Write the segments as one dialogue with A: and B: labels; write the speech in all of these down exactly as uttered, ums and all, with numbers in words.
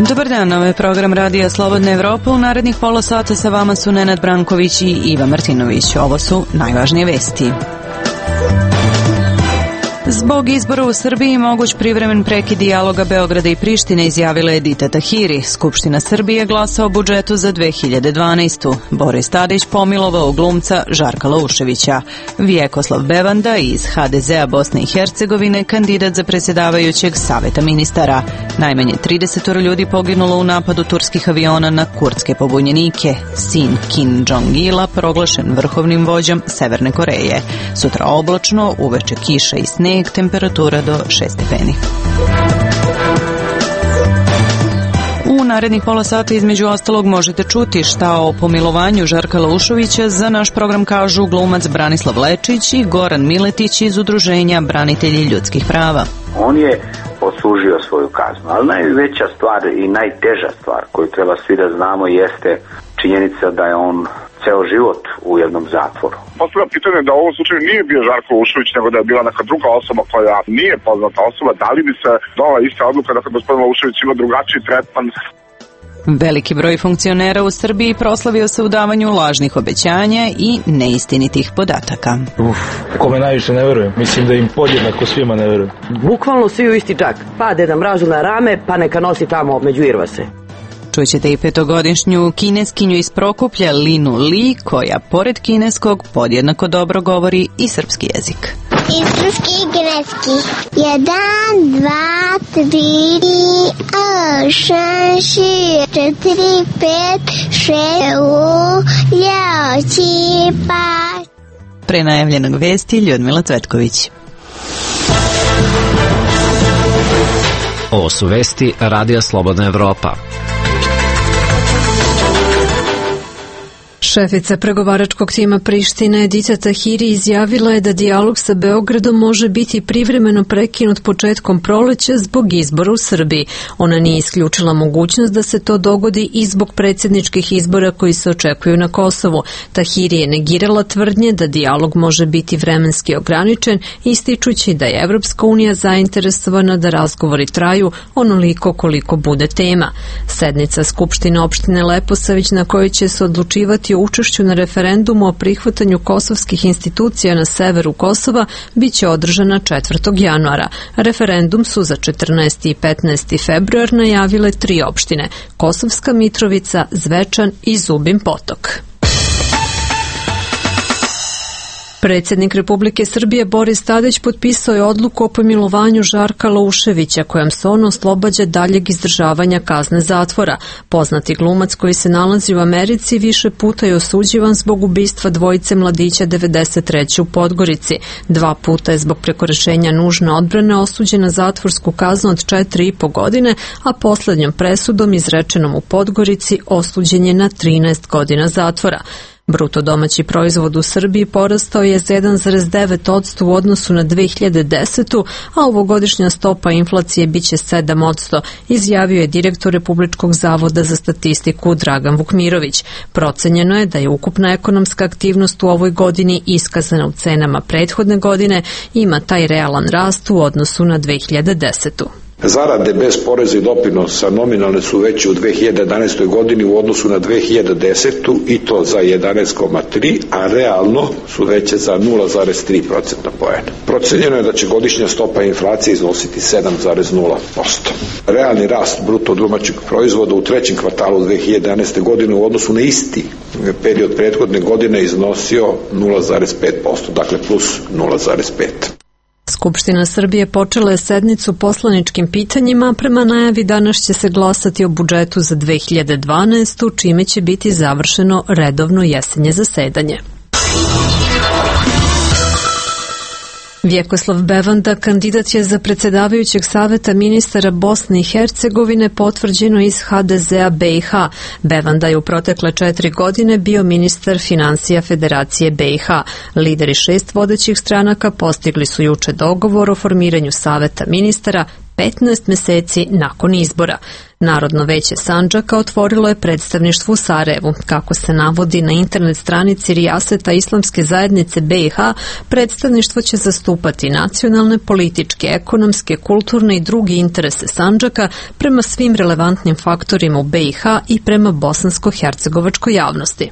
A: Dobar dan, ovo je program Radija Slobodna Evropa. U narednih pola sata sa vama su Nenad Branković i Iva Martinović. Ovo su najvažnije vesti. Zbog izbora u Srbiji moguć privremen prekid dijaloga Beograda i Prištine, izjavila je Edita Tahiri. Skupština Srbije glasa o budžetu za dve hiljade dvanaestu. Boris Tadić pomilovao glumca Žarka Lauševića. Vjekoslav Bevanda iz ha de zea Bosne i Hercegovine kandidat za predsjedavajućeg Saveta ministara. Najmanje trideset ljudi poginulo u napadu turskih aviona na kurdske pobunjenike. Sin Kim Jong-ila proglašen vrhovnim vođom Severne Koreje. Sutra oblačno, uveče kiša i sneg, temperatura do šest stepeni. U narednih pola sata između ostalog možete čuti šta o pomilovanju Žarka Lauševića za naš program kažu glumac Branislav Lečić i Goran Miletić iz udruženja Branitelji ljudskih prava.
B: On je odslužio svoju kaznu, ali najveća stvar i najteža stvar koju treba svi da znamo jeste činjenica da je on ceo život u jednom zatvoru.
C: Postavljam pitanje da u ovom slučaju nije bio Žarko Laušević, nego da je bila neka druga osoba koja nije poznata osoba. Da li bi se donela ista odluka da gospodin Laušević ima drugačiji tretman?
A: Veliki broj funkcionera u Srbiji proslavio se u davanju lažnih obećanja i neistinitih podataka.
D: Uf, kome najviše ne verujem. Mislim da im podjednako svima ne verujem.
E: Bukvalno svi u isti čak. Pa Deda Mrazu na rame, pa neka nosi tamo među Irvase.
A: Čućete i petogodišnju kineskinju iz Prokuplja Linu Li, koja pored kineskog podjednako dobro govori i srpski jezik.
F: I srpski i kineski. Jedan, dva, tri, a, šan, ši, četiri, pet, šest, u, ljao, či, pa.
A: Pre najavljenog vesti Ljudmila Cvetković.
G: Ovo su vesti Radija Slobodna Evropa.
H: Šefica pregovaračkog tima Prištine Edita Tahiri izjavila je da dijalog sa Beogradom može biti privremeno prekinut početkom proleća zbog izbora u Srbiji. Ona nije isključila mogućnost da se to dogodi i zbog predsjedničkih izbora koji se očekuju na Kosovu. Tahiri je negirala tvrdnje da dijalog može biti vremenski ograničen, ističući da je Evropska unija zainteresovana da razgovori traju onoliko koliko bude tema. Sednica Skupštine opštine Leposavić na kojoj će se odlučivati o učešću na referendumu o prihvatanju kosovskih institucija na severu Kosova biće održana četvrtog januara. Referendum su za četrnaesti i petnaesti februar najavile tri opštine: Kosovska Mitrovica, Zvečan i Zubin Potok. Predsjednik Republike Srbije Boris Tadić potpisao je odluku o pomilovanju Žarka Lauševića, kojom se on oslobađa daljeg izdržavanja kazne zatvora. Poznati glumac koji se nalazi u Americi više puta je osuđivan zbog ubistva dvojice mladića devedeset treće u Podgorici. Dva puta je zbog prekoračenja nužne odbrane osuđen na zatvorsku kaznu od četiri i po godine, a poslednjom presudom izrečenom u Podgorici osuđen je na trinaest godina zatvora. Bruto domaći proizvod u Srbiji porastao je za jedan zarez devet posto u odnosu na dve hiljade desetu. a ovogodišnja stopa inflacije biće sedam posto, izjavio je direktor Republičkog zavoda za statistiku Dragan Vukmirović. Procenjeno je da je ukupna ekonomska aktivnost u ovoj godini iskazana u cenama prethodne godine, ima taj realan rast u odnosu na dve hiljade desetu.
I: Zarade bez poreza i doprinosa nominalne su veće u dve hiljade jedanaestoj godini u odnosu na dve hiljade desetu i to za jedanaest zarez tri, a realno su veće za nula zarez tri procentna poena. Procenjeno je da će godišnja stopa inflacije iznositi sedam zarez nula posto. Realni rast bruto domaćeg proizvoda u trećem kvartalu dve hiljade jedanaeste godine u odnosu na isti period prethodne godine iznosio nula zarez pet posto, dakle plus nula zarez pet.
H: Skupština Srbije počela je sednicu poslaničkim pitanjima, prema najavi danas će se glasati o budžetu za dve hiljade dvanaestu, čime će biti završeno redovno jesenje zasedanje. Vjekoslav Bevanda kandidat je za predsjedavajućeg Saveta ministara Bosne i Hercegovine, potvrđeno iz ha de zea be i ha. Bevanda je u protekle četiri godine bio ministar financija Federacije be i ha. Lideri šest vodećih stranaka postigli su juče dogovor o formiranju Saveta ministara petnaest meseci nakon izbora. Narodno veće Sandžaka otvorilo je predstavništvo u Sarajevu. Kako se navodi na internet stranici Rijaseta Islamske zajednice B i H, predstavništvo će zastupati nacionalne, političke, ekonomske, kulturne i druge interese Sandžaka prema svim relevantnim faktorima u B i H i prema bosansko-hercegovačkoj javnosti.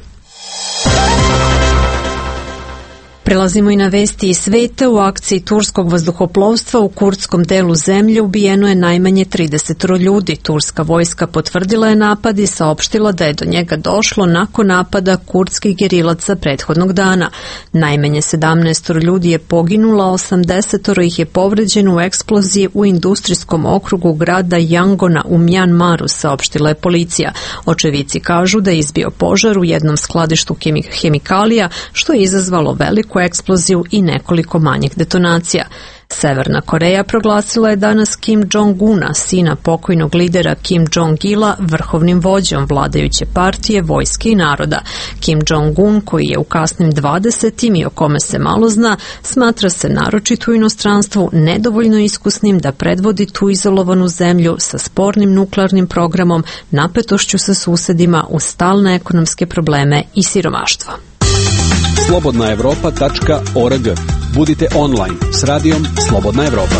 H: Prelazimo i na vesti iz sveta. U akciji turskog vazduhoplovstva u kurdskom delu zemlje ubijeno je najmanje trideset ljudi. Turska vojska potvrdila je napad i saopštila da je do njega došlo nakon napada kurdskih gerilaca prethodnog dana. Najmanje sedamnaest ljudi je poginulo, a osamdeset ih je povređeno u eksploziji u industrijskom okrugu grada Yangona u Mjanmaru, saopštila je policija. Očevici kažu da je izbio požar u jednom skladištu hemikalija, što je izazvalo veliku eksploziju i nekoliko manjih detonacija. Severna Koreja proglasila je danas Kim Jong-una, sina pokojnog lidera Kim Jong-ila, vrhovnim vođom vladajuće partije, vojske i naroda. Kim Jong-un, koji je u kasnim dvadesetim i o kome se malo zna, smatra se naročito u inostranstvu nedovoljno iskusnim da predvodi tu izolovanu zemlju sa spornim nuklearnim programom, napetošću sa susedima uz stalne ekonomske probleme i siromaštvo.
J: slobodna evropa tačka org. Budite online s radijom Slobodna Evropa.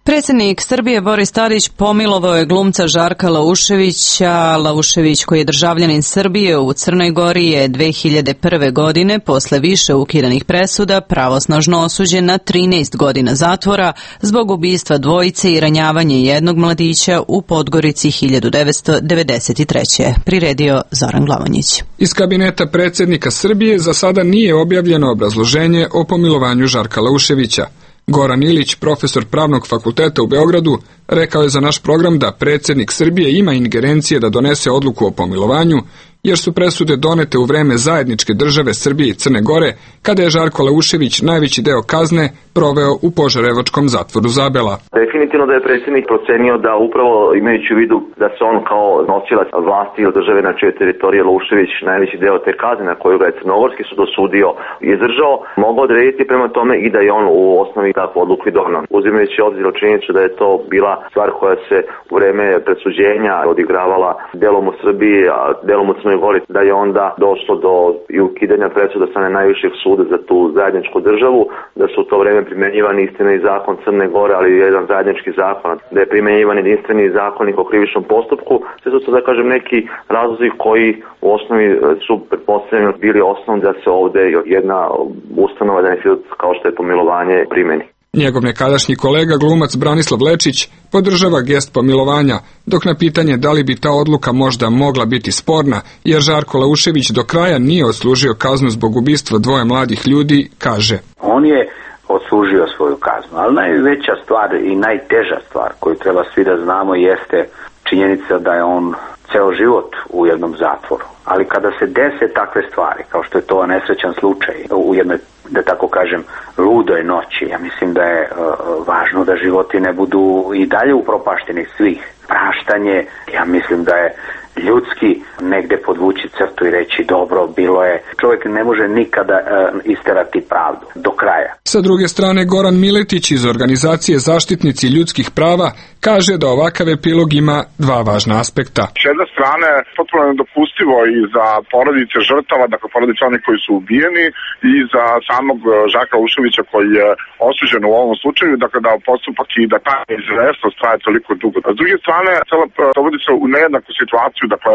A: Predsjednik Srbije Boris Tadić pomilovao je glumca Žarka Lauševića. Laušević, koji je državljanin Srbije u Crnoj Gori, je dve hiljade prve. godine posle više ukidanih presuda pravosnažno osuđen na trinaest godina zatvora zbog ubistva dvojice i ranjavanja jednog mladića u Podgorici hiljadu devetsto devedeset treće. Priredio Zoran Glavonjić.
K: Iz kabineta predsjednika Srbije za sada nije objavljeno obrazloženje o pomilovanju Žarka Lauševića. Goran Ilić, profesor Pravnog fakulteta u Beogradu, rekao je za naš program da predsjednik Srbije ima ingerencije da donese odluku o pomilovanju, jer su presude donete u vreme zajedničke države Srbije i Crne Gore, kada je Žarko Laušević najveći deo kazne proveo u Požarevačkom zatvoru Zabela.
L: Definitivno da je predsjednik procenio da upravo imajući u vidu da se on kao nosilac vlasti ili države na čijoj teritoriji Laušević najveći deo te kazne na koju ga je Crnogorski sud osudio izdržao, mogao odrediti prema tome i da je on u osnovi takvu odluku i donao. Uzimajući obzir činjenicu da je to bila stvar koja se u vreme presuđenja odigravala delom u Srbiji, a delom u Crnoj Gori, da je onda došlo do i ukidanja presuda strane najvišeg suda za tu zajedničku državu, da su u to vreme primjenjivani istina i zakon Crne Gore, ali i jedan zajednički zakon, da je primjenjivan jedinstveni zakonik o krivičnom postupku. Sve su to, da kažem, neki razlozi koji u osnovi su pretpostavljeni bili osnov da se ovde jedna ustanova, da institut kao što je pomilovanje, primeni.
K: Njegov nekadašnji kolega, glumac Branislav Lečić, podržava gest pomilovanja, dok na pitanje da li bi ta odluka možda mogla biti sporna, jer Žarko Laušević do kraja nije odslužio kaznu zbog ubistva dvoje mladih ljudi, kaže.
B: On je odslužio svoju kaznu, ali najveća stvar i najteža stvar koju treba svi da znamo jeste činjenica da je on ceo život u jednom zatvoru. Ali kada se dese takve stvari, kao što je to nesrećan slučaj, u jednoj, da tako kažem, ludoj noći, ja mislim da je uh, važno da životi ne budu i dalje upropašteni svih. Praštanje, ja mislim da je ljudski negde podvući crtu i reći dobro, bilo je. Čovjek ne može nikada uh, isterati pravdu do kraja.
K: Sa druge strane, Goran Miletić iz organizacije Zaštitnici ljudskih prava kaže da ovakav epilog ima dva važna aspekta.
C: S jedne strane, potpuno nedopustivo i za porodice žrtava, dakle porodice onih koji su ubijeni, i za samog Žarka Lauševića koji je osuđen u ovom slučaju, dakle da postupak i da ta izvesnost traje toliko dugo. A s druge strane, cela dovodi se u nejednaku situaciju, dakle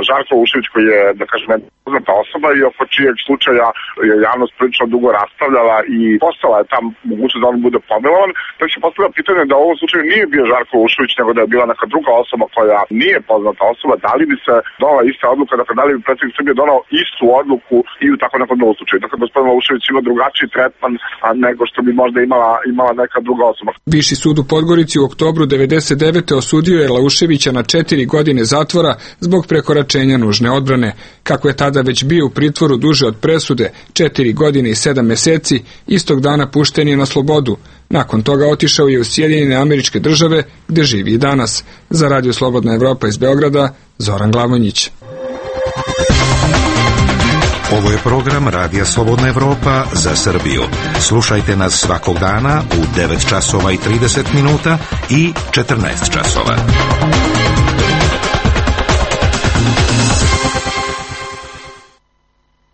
C: Žarko Laušević koji je, da kažem, poznata osoba i oko čijeg slučaja je javnost prilično dugo raspravljala i postala je tam mogućnost da on bude pomilovan, tako se postavlja pitanje da u ovom slučaju nije bio Žarko Laušević, nego da je bila neka druga osoba koja nije poznata osoba. Da li bi se donala ista odluka, dakle da li bi predsjednik Srbije donao istu odluku i u tako nekom drugom slučaju. Dakle, gospodin Laušević ima drugačiji tretman nego što bi možda imala, imala neka druga osoba.
K: Viši sud u Podgorici u oktobru devedeset devete osudio je Lauševića na četiri godine zatvora zbog prekoračenja nužne odbrane. Kako je tada već bio u pritvoru duže od presude, četiri godine i sedam meseci, istog dana pušten je na slobodu. Nakon toga otišao je u Sjedinjene Američke Države, gde živi i danas. Za Radio Slobodna Evropa iz Beograda, Zoran Glavonjić.
M: Ovo je program Radija Slobodna Evropa za Srbiju. Slušajte nas svakog dana u devet časova i trideset minuta i četrnaest časova.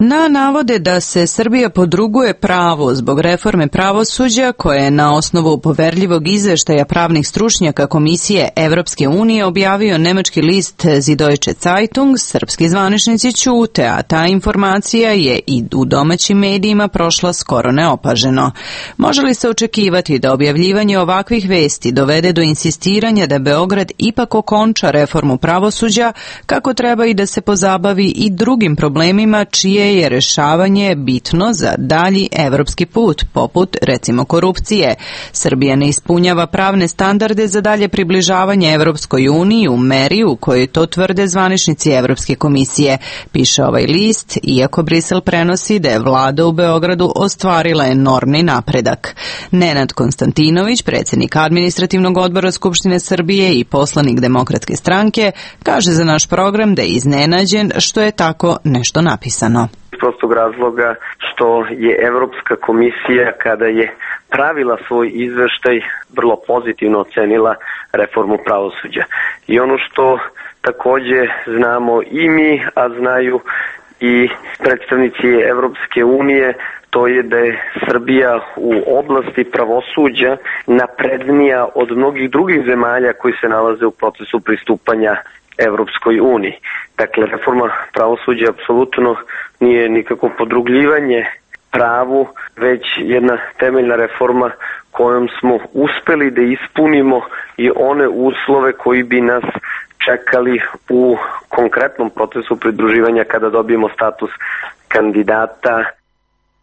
A: Na navode da se Srbija podruguje pravo zbog reforme pravosuđa koje je na osnovu poverljivog izveštaja pravnih stručnjaka Komisije Evropske unije objavio nemački list Süddeutsche Zeitung, srpski zvaničnici ćute, a ta informacija je i u domaćim medijima prošla skoro neopaženo. Može li se očekivati da objavljivanje ovakvih vesti dovede do insistiranja da Beograd ipak okonča reformu pravosuđa, kako treba i da se pozabavi i drugim problemima čije je rešavanje bitno za dalji evropski put, poput recimo korupcije. Srbija ne ispunjava pravne standarde za dalje približavanje Evropskoj uniji u meri u kojoj to tvrde zvaničnici Evropske komisije, piše ovaj list, iako Brisel prenosi da je vlada u Beogradu ostvarila enormni napredak. Nenad Konstantinović, predsjednik administrativnog odbora Skupštine Srbije i poslanik Demokratske stranke, kaže za naš program da je iznenađen što je tako nešto napisano.
N: Iz prostog razloga što je Evropska komisija kada je pravila svoj izveštaj vrlo pozitivno ocenila reformu pravosuđa. I ono što takođe znamo i mi, a znaju i predstavnici Evropske unije, to je da je Srbija u oblasti pravosuđa naprednija od mnogih drugih zemalja koji se nalaze u procesu pristupanja Evropskoj uniji. Dakle, reforma pravosuđa apsolutno nije nikako podrugljivanje pravu, već jedna temeljna reforma kojom smo uspeli da ispunimo i one uslove koji bi nas čekali u konkretnom procesu pridruživanja kada dobijemo status kandidata.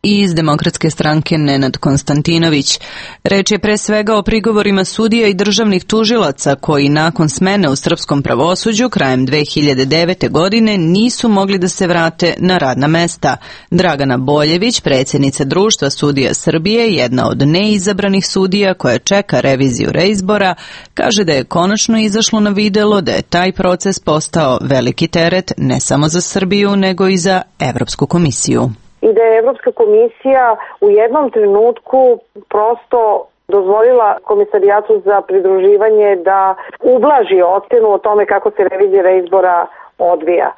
A: I iz Demokratske stranke Nenad Konstantinović. Reč je pre svega o prigovorima sudija i državnih tužilaca koji nakon smene u srpskom pravosuđu krajem dve hiljade devete. godine nisu mogli da se vrate na radna mesta. Dragana Boljević, predsjednica Društva sudija Srbije, jedna od neizabranih sudija koja čeka reviziju reizbora, kaže da je konačno izašlo na videlo da je taj proces postao veliki teret ne samo za Srbiju nego i za Evropsku komisiju.
O: I da je Evropska komisija u jednom trenutku prosto dozvolila Komisarijatu za pridruživanje da ublaži ocenu o tome kako se revizija reizbora odvija.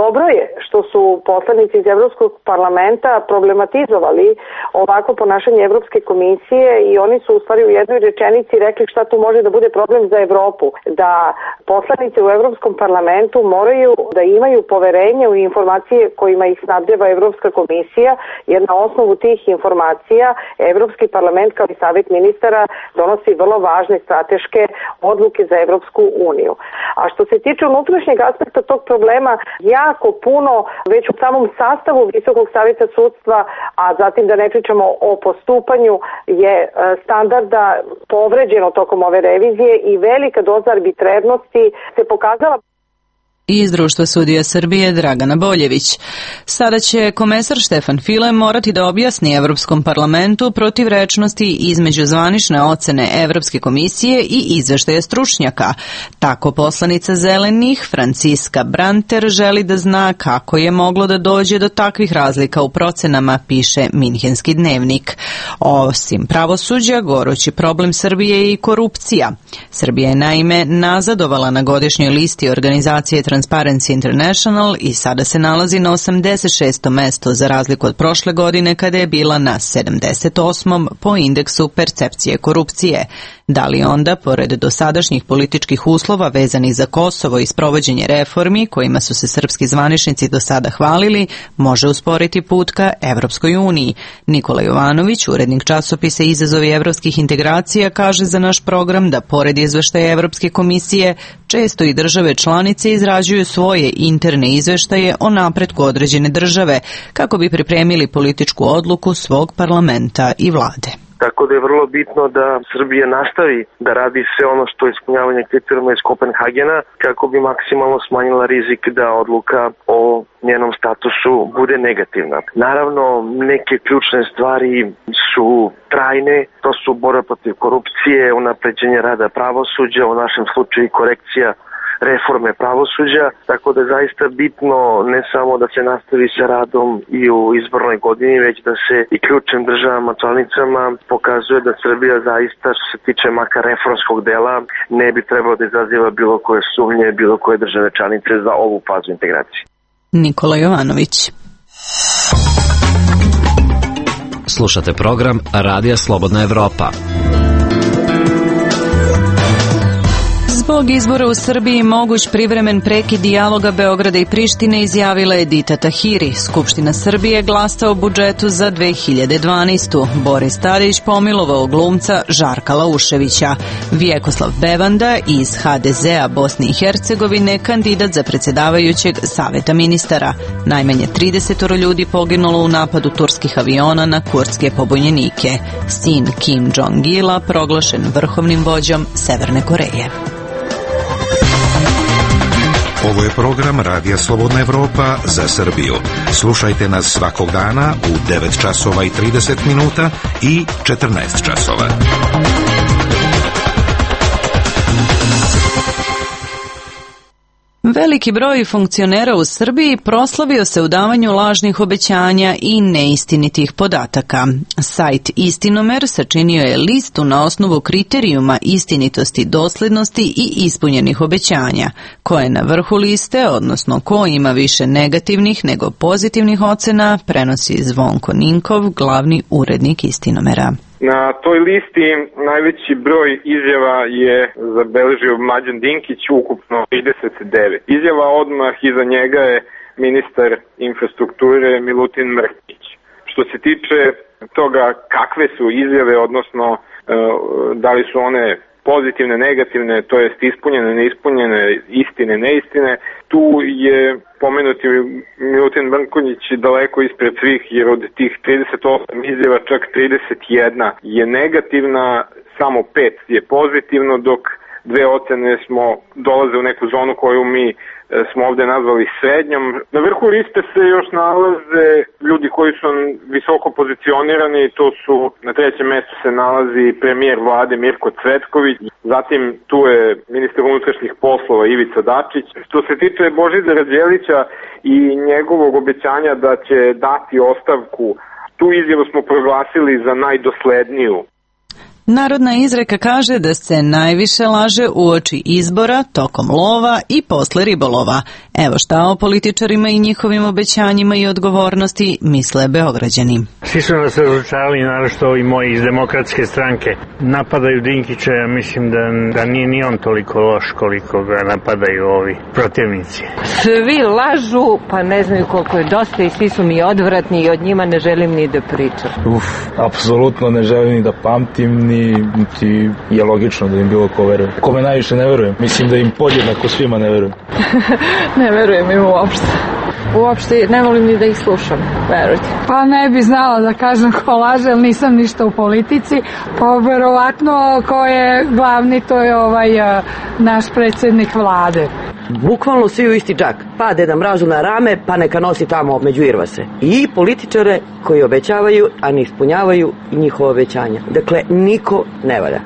O: Dobro je što su poslanici iz Evropskog parlamenta problematizovali ovako ponašanje Evropske komisije i oni su u stvari u jednoj rečenici rekli šta tu može da bude problem za Evropu. Da poslanici u Evropskom parlamentu moraju da imaju poverenje u informacije kojima ih snabdeva Evropska komisija, jer na osnovu tih informacija Evropski parlament kao i Savet ministara donosi vrlo važne strateške odluke za Evropsku uniju. A što se tiče unutrašnjeg aspekta tog problema, jako puno već u samom sastavu Visokog savjeta sudstva, a zatim da ne pričamo o postupanju, je standarda povređeno tokom ove revizije i velika doza arbitrernosti se pokazala.
A: I iz Društva sudija Srbije Dragana Boljević. Sada će komesar Štefan File morati da objasni Evropskom parlamentu protivrečnosti između zvanične ocene Evropske komisije i izveštaja stručnjaka. Tako poslanica Zelenih Franciska Branter želi da zna kako je moglo da dođe do takvih razlika u procenama, piše Minhenski dnevnik. Osim pravosuđa, gorući problem Srbije je i korupcija. Srbija je naime nazadovala na godišnjoj listi organizacije Transparency International i sada se nalazi na osamdeset šestom mestu za razliku od prošle godine kada je bila na sedamdeset osmom po indeksu percepcije korupcije. Da li onda, pored dosadašnjih političkih uslova vezanih za Kosovo i sprovođenje reformi kojima su se srpski zvaničnici do sada hvalili, može usporiti put ka Evropskoj uniji? Nikola Jovanović, urednik časopisa Izazovi evropskih integracija, kaže za naš program da pored izveštaja Evropske komisije često i države članice izrađuju svoje interne izveštaje o napretku određene države kako bi pripremili političku odluku svog parlamenta i vlade.
N: Tako da je vrlo bitno da Srbija nastavi da radi sve ono što je ispunjavanje kriterijuma iz Kopenhagena kako bi maksimalno smanjila rizik da odluka o njenom statusu bude negativna. Naravno, neke ključne stvari su trajne, to su borba protiv korupcije, unapređenje rada pravosuđa, u našem slučaju korekcija reforme pravosuđa, tako da je zaista bitno ne samo da se nastavi sa radom i u izbornoj godini, već da se i ključnim državama članicama pokazuje da Srbija zaista, što se tiče makar reformskog dela, ne bi trebalo da izaziva bilo koje sumnje, bilo koje države članice za ovu fazu integracije.
A: Nikola Jovanović.
G: Slušate program Radija Slobodna Evropa.
A: Zbog izbora u Srbiji moguć privremen prekid dijaloga Beograda i Prištine izjavila Edita Tahiri. Skupština Srbije glasa o budžetu za dve hiljade dvanaestu. Boris Tadić pomilovao glumca Žarka Lauševića. Vjekoslav Bevanda iz ha de zea Bosne i Hercegovine kandidat za predsjedavajućeg Saveta ministara. Najmanje trideset ljudi poginulo u napadu turskih aviona na kurdske pobunjenike. Sin Kim Jong-ila proglašen vrhovnim vođom Severne Koreje.
M: Ovo je program Radija Slobodna Evropa za Srbiju. Slušajte nas svakog dana u devet časova i trideset minuta i četrnaest časova.
A: Veliki broj funkcionera u Srbiji proslavio se u davanju lažnih obećanja i neistinitih podataka. Sajt Istinomer sačinio je listu na osnovu kriterijuma istinitosti, doslednosti i ispunjenih obećanja, ko je na vrhu liste, odnosno ko ima više negativnih nego pozitivnih ocena, prenosi Zvonko Ninkov, glavni urednik Istinomera.
P: Na toj listi najveći broj izjava je zabeležio Mlađan Dinkić, ukupno trideset devet. Izjava odmah iza njega je ministar infrastrukture Milutin Mrkić. Što se tiče toga kakve su izjave, odnosno da li su one pozitivne, negativne, to jest ispunjene, neispunjene, istine, neistine, tu je pomenuti Milutin Mrkonjić daleko ispred svih, jer od tih trideset osam izjava čak trideset jedna je negativna, samo pet je pozitivno, dok dve ocene smo dolaze u neku zonu koju mi smo ovde nazvali srednjom. Na vrhu liste se još nalaze ljudi koji su visoko pozicionirani, to su na trećem mjestu se nalazi premijer vlade Mirko Cvetković, zatim tu je ministar unutrašnjih poslova Ivica Dačić. Što se tiče Božidara Đelića i njegovog obećanja da će dati ostavku, tu izjavu smo proglasili za najdosledniju.
A: Narodna izreka kaže da se najviše laže uoči izbora, tokom lova i posle ribolova. Evo šta o političarima i njihovim obećanjima i odgovornosti misle Beograđani.
Q: Svi su nas razočarali, naravno i moji iz Demokratske stranke. Napadaju Dinkića, ja mislim da, da nije ni on toliko loš koliko ga napadaju ovi protivnici.
R: Svi lažu, pa ne znaju koliko je dosta i svi su mi odvratni i od njima ne želim ni da pričam.
D: Uf, apsolutno ne želim ni da pamtim, niti je logično da im bilo ko veruje. Kome najviše ne verujem, mislim da im podjednako svima ne verujem.
S: Ne verujem im uopšte. Uopšte ne volim ni da ih slušam, verujte.
T: Pa ne bi znala da kažem ko laže, ali nisam ništa u politici. Pa verovatno ko je glavni, to je ovaj naš predsjednik vlade.
E: Bukvalno svi u isti džak. Pa Deda Mrazu na rame, pa neka nosi tamo među irvase. I političare koji obećavaju, a ne ispunjavaju njihova obećanja. Dakle, niko ne valja.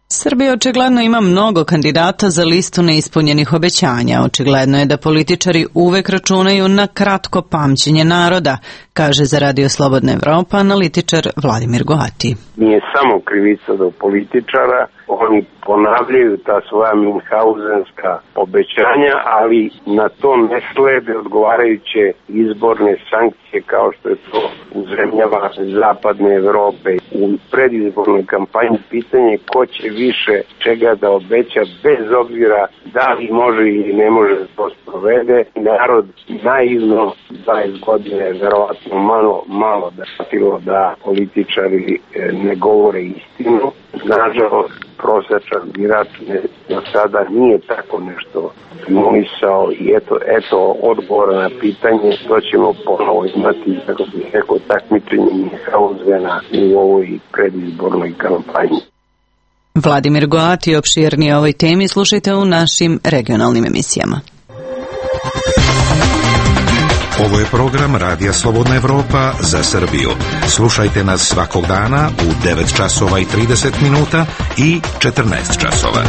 A: Srbija očigledno ima mnogo kandidata za listu neispunjenih obećanja. Očigledno je da političari uvek računaju na kratko pamćenje naroda, kaže za Radio Slobodna Evropa analitičar Vladimir Goati.
U: Nije samo krivica do političara, oni ponavljaju ta svoja minhauzenska obećanja, ali na to ne slede odgovarajuće izborne sankcije kao što je to u zemljama zapadne Evrope. U predizbornoj kampanji pitanje ko će više čega da obeća bez obzira da li može ili ne može da to sprovede. Narod naivno dvadeset godine verovatno malo, malo da shvatilo da političari ne govore istinu. Nažalost, prosječan birač do sada nije tako nešto simulisao i eto, eto odgovora na pitanje, to ćemo ponovo imati, kako bih rekao, takmičenje Minhausena u ovoj predizbornoj kampanji.
A: Vladimir Goati opširnije o ovoj temi slušajte u našim regionalnim emisijama.
M: Ovo je program Radija Slobodna Evropa za Srbiju. Slušajte nas svakog dana u devet časova i trideset minuta i četrnaest časova.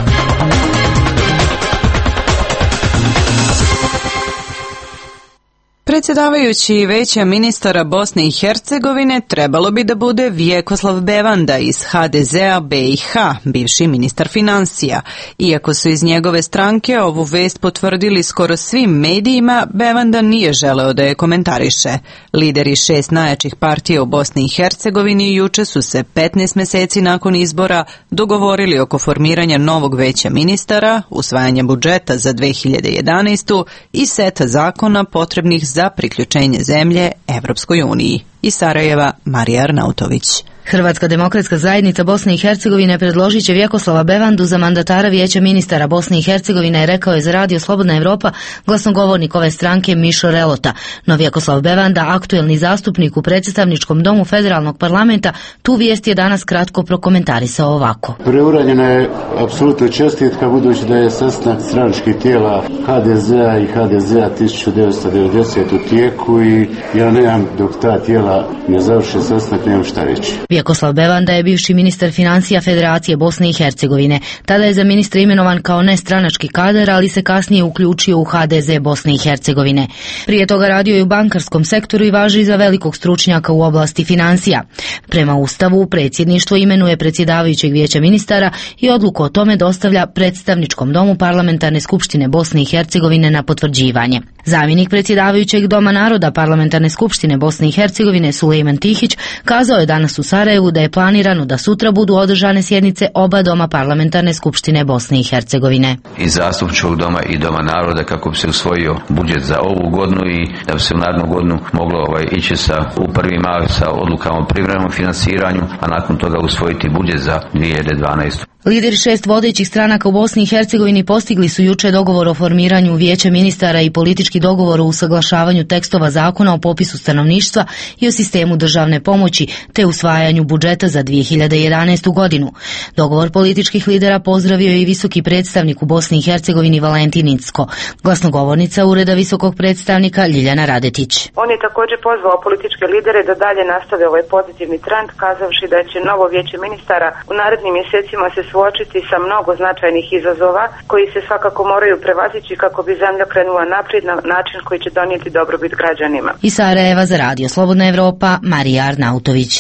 A: Predsjedavajući Veća ministara Bosne i Hercegovine trebalo bi da bude Vjekoslav Bevanda iz ha de zea be i ha, bivši ministar financija. Iako su iz njegove stranke ovu vest potvrdili skoro svim medijima, Bevanda nije želeo da je komentariše. Lideri šest najjačih partija u Bosni i Hercegovini juče su se petnaest meseci nakon izbora dogovorili oko formiranja novog Veća ministara, usvajanja budžeta za dve hiljade jedanaestu. i seta zakona potrebnih za priključenje zemlje Evropskoj uniji. Iz Sarajeva, Marija Arnautović.
F: Hrvatska demokratska zajednica Bosne i Hercegovine predložit će Vjekoslava Bevandu za mandatara Vijeća ministara Bosne i Hercegovine, rekao je za radio Slobodna Evropa glasnogovornik ove stranke Mišo Relota. No Vjekoslav Bevanda, aktuelni zastupnik u predstavničkom domu federalnog parlamenta, tu vijest je danas kratko prokomentarisao ovako.
V: Preuranjena je apsolutno čestitka, budući da je sastanak stranačkih tijela ha de zea i ha de zea tisuću devetsto devedesete u tijeku i ja nemam, dok ta tijela ne završe sastanak, nemam šta reći.
F: Vjekoslav Bevanda je bivši ministar financija Federacije Bosne i Hercegovine. Tada je za ministra imenovan kao nestranački kadar, ali se kasnije uključio u ha de ze Bosne i Hercegovine. Prije toga radio je u bankarskom sektoru i važi za velikog stručnjaka u oblasti financija. Prema Ustavu, predsjedništvo imenuje predsjedavajućeg Vijeća ministara i odluku o tome dostavlja predstavničkom domu Parlamentarne skupštine Bosne i Hercegovine na potvrđivanje. Zamjenik predsjedavajućeg Doma naroda Parlamentarne skupštine Bosne i Hercegovine Sulejman Tihić kazao je danas u Sarajevu da je planirano da sutra budu održane sjednice oba doma Parlamentarne skupštine Bosne i Hercegovine.
W: I zastupničkog doma i Doma naroda kako bi se usvojio budžet za ovu godinu i da bi se u narednu godinu moglo ovaj, ići sa, u prvi mah sa odlukama o privremenom financiranju, a nakon toga usvojiti budžet za dvije hiljade dvanaestu.
F: Lideri šest vodećih stranaka u Bosni i Hercegovini postigli su juče dogovor o formiranju Vijeća ministara i politički dogovor o usaglašavanju tekstova zakona o popisu stanovništva i o sistemu državne pomoći, te usvajanju budžeta za dvije hiljade jedanaestu. godinu. Dogovor političkih lidera pozdravio je i visoki predstavnik u Bosni i Hercegovini Valentin Incko, glasnogovornica Ureda visokog predstavnika Ljiljana Radetić.
X: On je također pozvao političke lidere da dalje nastave ovaj pozitivni trend, kazavši da će novo Vijeće ministara u narednim mjesecima se suočiti sa mnogo značajnih izazova koji se svakako moraju prevazići kako bi zemlja krenula naprijed na način koji će donijeti dobrobit građanima.
F: Iz Sarajeva za radio Slobodna Evropa, Marija Arnautović.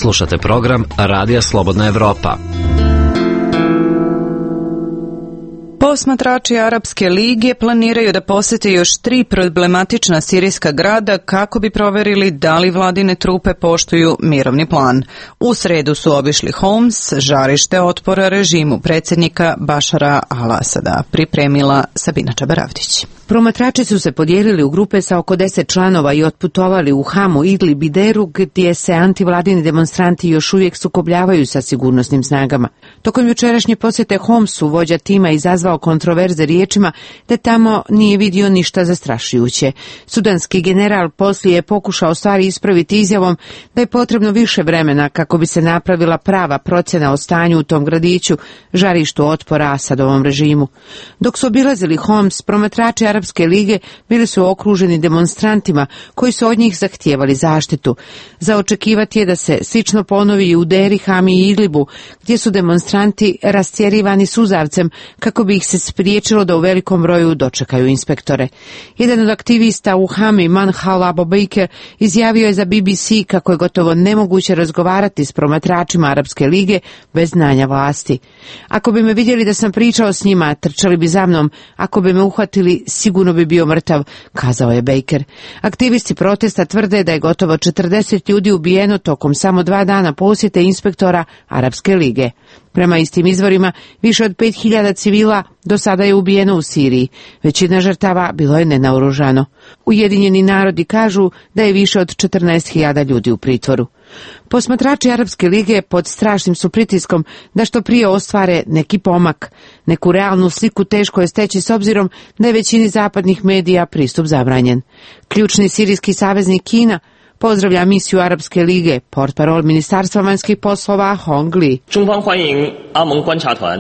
G: Slušate program Radija Slobodna Evropa.
A: Posmatrači Arapske lige planiraju da posete još tri problematična sirijska grada kako bi proverili da li vladine trupe poštuju mirovni plan. U sredu su obišli Homs, žarište otpora režimu predsjednika Bašara al-Asada, pripremila Sabina Čabaravdić.
Y: Promatrači su se podijelili u grupe sa oko deset članova i otputovali u Hamu, Idlib i Deru, gdje se antivladini demonstranti još uvijek sukobljavaju sa sigurnosnim snagama. Tokom jučerašnje posjete Homsu vođa tima izazvao kontroverze riječima da tamo nije vidio ništa zastrašujuće. Sudanski general poslije je pokušao stvari ispraviti izjavom da je potrebno više vremena kako bi se napravila prava procjena o stanju u tom gradiću, žarištu otpora Asadovom režimu. Dok su obilazili Homs, promatrači Arapske lige bili su okruženi demonstrantima koji su od njih zahtijevali zaštitu. Za očekivati je da se slično ponovi i u Deri, Hami i Idlibu, gdje su demonstranti rastjerivani suzavcem kako bi ih se spriječilo da u velikom broju dočekaju inspektore. Jedan od aktivista u Hami, Manhal Abobejke, izjavio je za be be ce kako je gotovo nemoguće razgovarati s promatračima Arapske lige bez znanja vlasti. Ako bi me vidjeli da sam pričao s njima, trčali bi za mnom, ako bi me uhvatili, sigurno bi bio mrtav, kazao je Baker. Aktivisti protesta tvrde da je gotovo četrdeset ljudi ubijeno tokom samo dva dana posjete inspektora Arapske lige. Prema istim izvorima, više od pet hiljada civila do sada je ubijeno u Siriji. Većina žrtava bilo je nenaoružano. Ujedinjeni narodi kažu da je više od četrnaest hiljada ljudi u pritvoru. Posmatrači Arapske lige pod strašnim su pritiskom da što prije ostvare neki pomak. Neku realnu sliku teško je steći s obzirom da je većini zapadnih medija pristup zabranjen. Ključni sirijski saveznik Kina pozdravlja misiju Arapske lige, portparol Ministarstva vanjskih poslova Hong Li.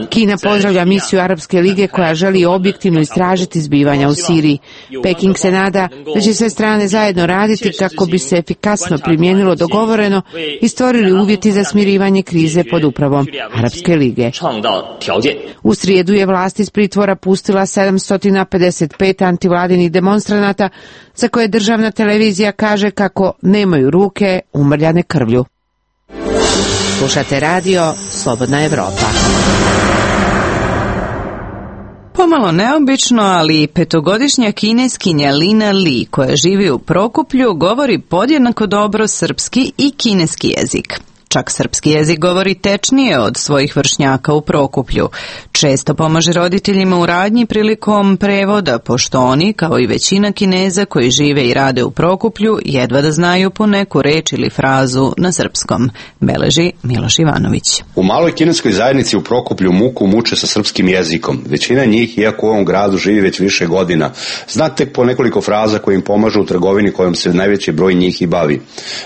Y: Kina pozdravlja misiju Arapske lige koja želi objektivno istražiti zbivanja u Siriji. Peking se nada da će sve strane zajedno raditi kako bi se efikasno primijenilo dogovoreno i stvorili uvjeti za smirivanje krize pod upravom Arapske lige. U srijedu je vlast iz pritvora pustila sedamsto pedeset pet antivladinih demonstranata za koje državna televizija kaže kako nemaju ruke umrljane krvlju. Slušate radio Slobodna Evropa.
A: Pomalo neobično, ali petogodišnja kineskinja Lina Li, koja živi u Prokuplju, govori podjednako dobro srpski i kineski jezik. Čak srpski jezik govori tečnije od svojih vršnjaka u Prokuplju. Često pomaže roditeljima u radnji prilikom prevoda, pošto oni, kao i većina Kineza koji žive i rade u Prokuplju, jedva da znaju po neku reč ili frazu na srpskom, beleži Miloš Ivanović.
B: U maloj kineskoj zajednici u Prokuplju muku muče sa srpskim jezikom. Većina njih, iako u ovom gradu živi već više godina, zna tek po nekoliko fraza koje im pomažu u trgovini kojom se najveći broj njih i bavi.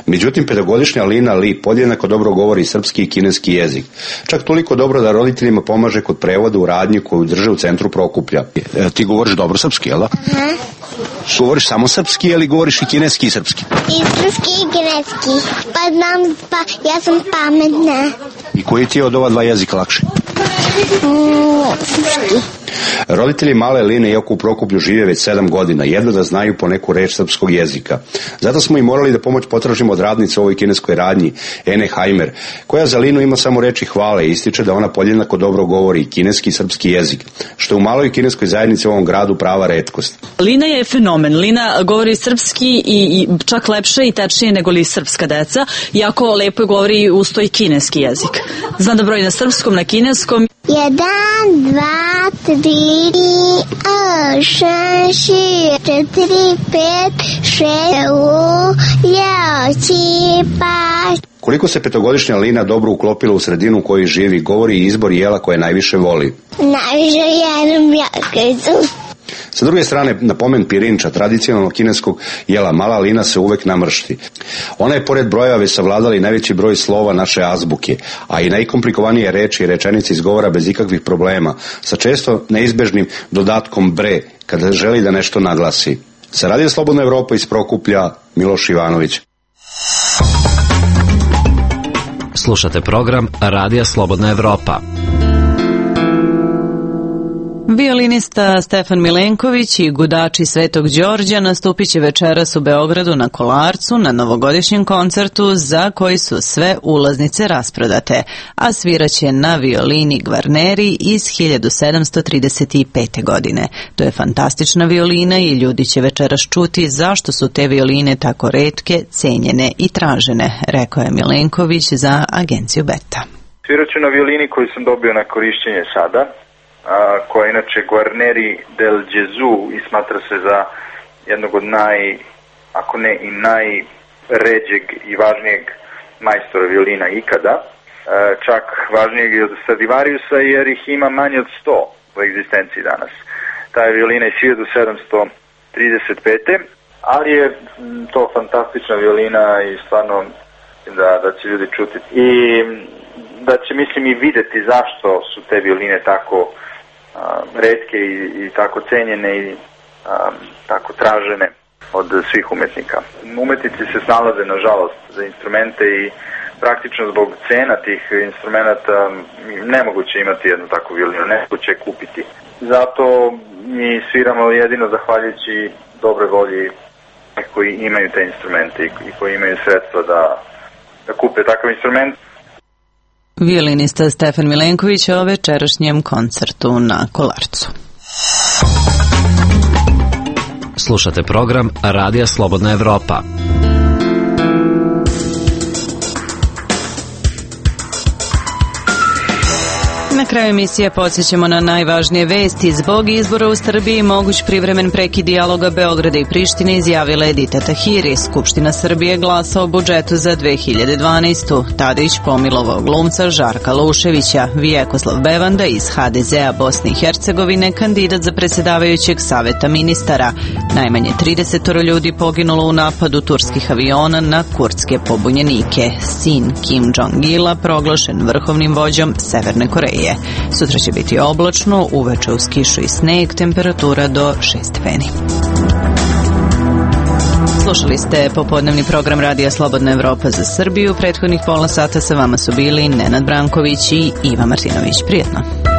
B: Međutim, petogodišnja Lina Li podjednako dobro govori srpski i kineski jezik. Čak toliko dobro da roditeljima pomaže kod prevoda u radnji koju drže u centru Prokuplja. E, ti govoriš dobro srpski, jel da? Aha. Govoriš samo srpski ili govoriš i kineski i srpski?
H: I srpski i kineski. Pa znam, pa ja sam pametna.
B: I koji ti je od ova dva jezika lakši?
H: Mm, srpski.
B: Roditelji male Line, iako u Prokuplju žive već sedam godina, jedva da znaju po neku reč srpskog jezika. Zato smo i morali da pomoć potražimo od radnice u ovoj kineskoj radnji, Ene Hajmer, koja za Linu ima samo reči hvale i ističe da ona podjednako dobro govori i kineski i srpski jezik, što je u maloj kineskoj zajednici u ovom gradu prava retkost.
I: Lina je fenomen. Lina govori srpski i, i čak lepše i tečnije nego li srpska deca, jako lepo govori uz to i kineski jezik. Zna da broji na srpskom, na kineskom.
H: Jedan, dva, tri,二三四četiri pet šest六七八.
B: Koliko se petogodišnja Lina dobro uklopila u sredinu u kojoj živi, govori i izbor jela koje najviše voli.
H: Najviše jedem jakicu.
B: Sa druge strane, na pomen pirinča, tradicionalnog kineskog jela, mala Lina se uvek namršti. Ona je pored brojeva već savladala i najveći broj slova naše azbuke, a i najkomplikovanije reči i rečenice izgovara bez ikakvih problema, sa često neizbežnim dodatkom bre, kada želi da nešto naglasi. Sa Radio Slobodna Evropa iz Prokuplja, Miloš Ivanović.
G: Slušate program Radija Slobodna Evropa.
A: Violinista Stefan Milenković i gudači Svetog Đorđa nastupit će večeras u Beogradu na Kolarcu na novogodišnjem koncertu za koji su sve ulaznice rasprodate, a sviraće na violini Gvarneri iz hiljadu sedamsto trideset pete. godine. To je fantastična violina i ljudi će večeras čuti zašto su te violine tako retke, cenjene i tražene, rekao je Milenković za agenciju Beta.
J: Sviraću na violini koju sam dobio na korišćenje sada, a, koja je inače Guarneri del Gesù i smatra se za jednog od naj, ako ne i najređeg i važnijeg majstora violina ikada, a, čak važnijeg i od Stradivariusa jer ih ima manje od sto u egzistenciji danas. Ta je violina iz hiljadu sedamsto trideset pete. ali je to fantastična violina i stvarno da, da će ljudi čuti. I da će, mislim, i videti zašto su te violine tako a, retke i, i tako cenjene i a, tako tražene od svih umetnika. Umetnici se snalaze, nažalost, za instrumente i praktično zbog cena tih instrumenta nemoguće imati jednu takvu violinu, nemoguće je kupiti. Zato mi sviramo jedino zahvaljujući dobre volji koji imaju te instrumente i koji imaju sredstva da, da kupe takav instrument.
A: Violinista Stefan Milenković o večerašnjem koncertu na Kolarcu.
G: Slušate program Radija Slobodna Evropa.
A: Na kraju emisije podsjećamo na najvažnije vesti. Zbog izbora u Srbiji moguć privremen prekid dijaloga Beograda i Prištine, izjavila Edita Tahiri. Skupština Srbije glasa o budžetu za dve hiljade dvanaestu. Tadić pomilovao glumca Žarka Luševića. Vjekoslav Bevanda iz ha de zea Bosne i Hercegovine, kandidat za predsjedavajućeg saveta ministara. Najmanje trideset ljudi poginulo u napadu turskih aviona na kurdske pobunjenike. Sin Kim Jong-ila proglašen vrhovnim vođom Severne Koreje. Sutra će biti oblačno, uveče uz kišu i sneg, temperatura do šest stepeni. Slušali ste popodnevni program Radija Slobodna Evropa za Srbiju. Prethodnih pola sata sa vama su bili Nenad Branković i Iva Martinović. Prijetno.